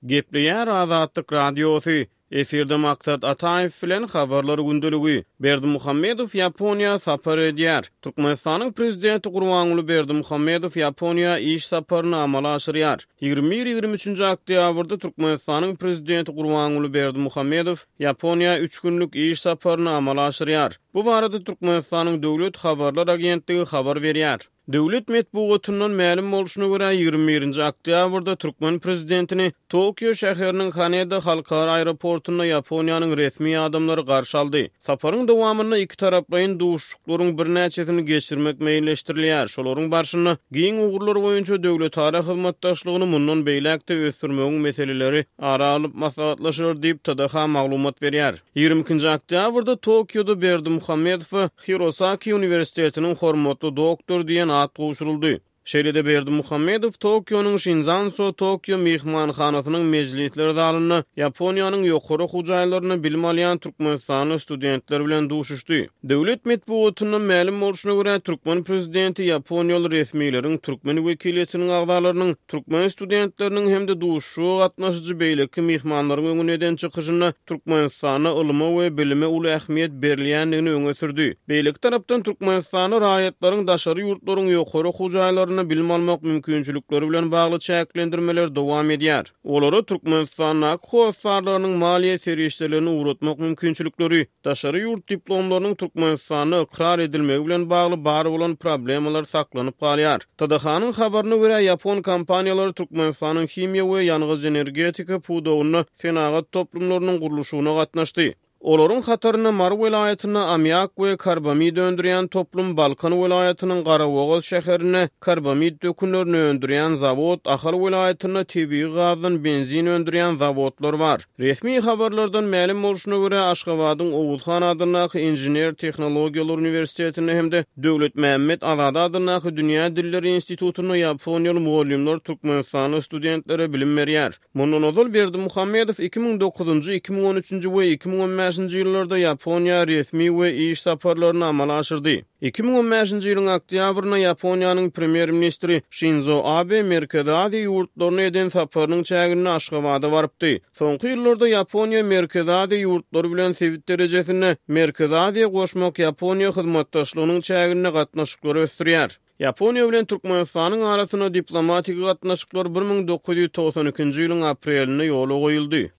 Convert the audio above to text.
Gepleýär Azatlyk Radiosy, Efirde Maksat Ataýew bilen Habarlar gündeligi. Berdimuhamedow Ýaponiýa sapar edýär. Türkmenistanyň Prezidenti Gurbanguly Berdimuhamedow Ýaponiýa iş saparyny amala aşyrýar. 21-23 nji oktýabrda Türkmenistanyň Prezidenti Gurbanguly Berdimuhamedow Ýaponiýa üç günlük iş saparyny amala aşyrýar. Bu barada Türkmenistanyň Döwlet habarlar agentligi habar berýär. Döwlet metbugatyndan mälim bolşuna görä, 21-nji oktýabrda türkmen prezidentini Tokio şäheriniň Haneda halkara aeroportynda Ýaponiýanyň resmi adamlary garşy aldy. Saparyň dowamynda ikitaraplaýyn duşuşyklaryň birnäçesini geçirmek meýilleşdirilýär, şolaryň barşynda giň ugurlar boýunça döwletara hyzmatdaşlygyny mundan beýläk-de ösdürmegiň meseleleri ara alnyp maslahatlaşylar diýip, TDH maglumat berýär. 22-nji oktýabrda Tokioda Berdimuhamedowa Hirosaki uniwersitetiniň hormatly doktory diýen at gowşuryldy. Şeýle-de Berdimuhamedow Tokionyň Şinzanso Tokio myhmanhanasynyň mejlisler zalynda Ýaponiýanyň ýokary okuw jaýlarynda bilim alýan türkmenistanly studentler bilen duşuşdy. Döwlet metbugatyndan mälim bolşuna görä, türkmen prezidenti ýaponiýaly resmileriň, türkmen wekiliýetiniň agzalarynyň, türkmen studentleriniň hem-de duşuşyga gatnaşyjy beýleki myhmanlaryň öňünde eden çykyşynda Türkmenistanda ylyma we bilime uly ähmiýet berilýändigini öňe sürdi. Beýleki tarapdan, Türkmenistanda raýatlaryň daşary ýurtlaryň ýokary okuw jaýlarynda bilim almak mümkinçilikleri bilen bagly çäklendirmeler dowam edýär. Olara Türkmenistandaky hossarlarynyň maliýe serişdelerini ugratmak mümkinçilikleri, daşary ýurt diplomlarynyň Türkmenistanda ykrar edilmegi bilen bagly bar bolan problemalar saklanyp galýar. TDH-nyň habaryna görä, ýapon kompaniýalary Türkmenistanyň himiýa we ýangyç-energetika pudagynda senagat toplumlarynyň gurluşygyna gatnaşdy. Olaryň hatarynda Mary welaýatynda ammiak we karbamid öndürýän toplum, Balkan welaýatynyň Garabogaz şäherinde karbamid dökünlerini öndürýän zawod, Ahal welaýatynda tebigy gazdan benzin öndürýän zawodlar bar. Resmi habarlardan mälim bolşuna görä, Aşgabadyň Oguz han adyndaky Inžener-tehnologiýalar uniwersitetinde hem-de Döwletmämmet Azady adyndaky Dünýä dilleri institutynda ýaponiýaly mugallymlar türkmenistanly studentlere bilim berýär. Mundan ozal Berdimuhamedow 2009-njy, 2013-nji we 2015-nji ýyllarda Ýaponiýa resmi we iş saparlaryny amala aşyrdy. 2015-nji ýylyň oktýabrynda Ýaponiýanyň premýer-ministri Şinzo Abe Merkezi Aziýa ýurtlaryna eden saparynyň çäginde Aşgabada barypdy. Soňky ýyllarda Ýaponiýa Merkezi Aziýa ýurtlary bilen sebit derejesinde Merkezi Aziýa goşmak Ýaponiýa hyzmatdaşlygynyň çäginde gatnaşyklary ösdürýär. Ýaponiýa bilen Türkmenistanyň arasynda diplomatik gatnaşyklar 1992-nji ýylyň aprelinde ýola goýuldy.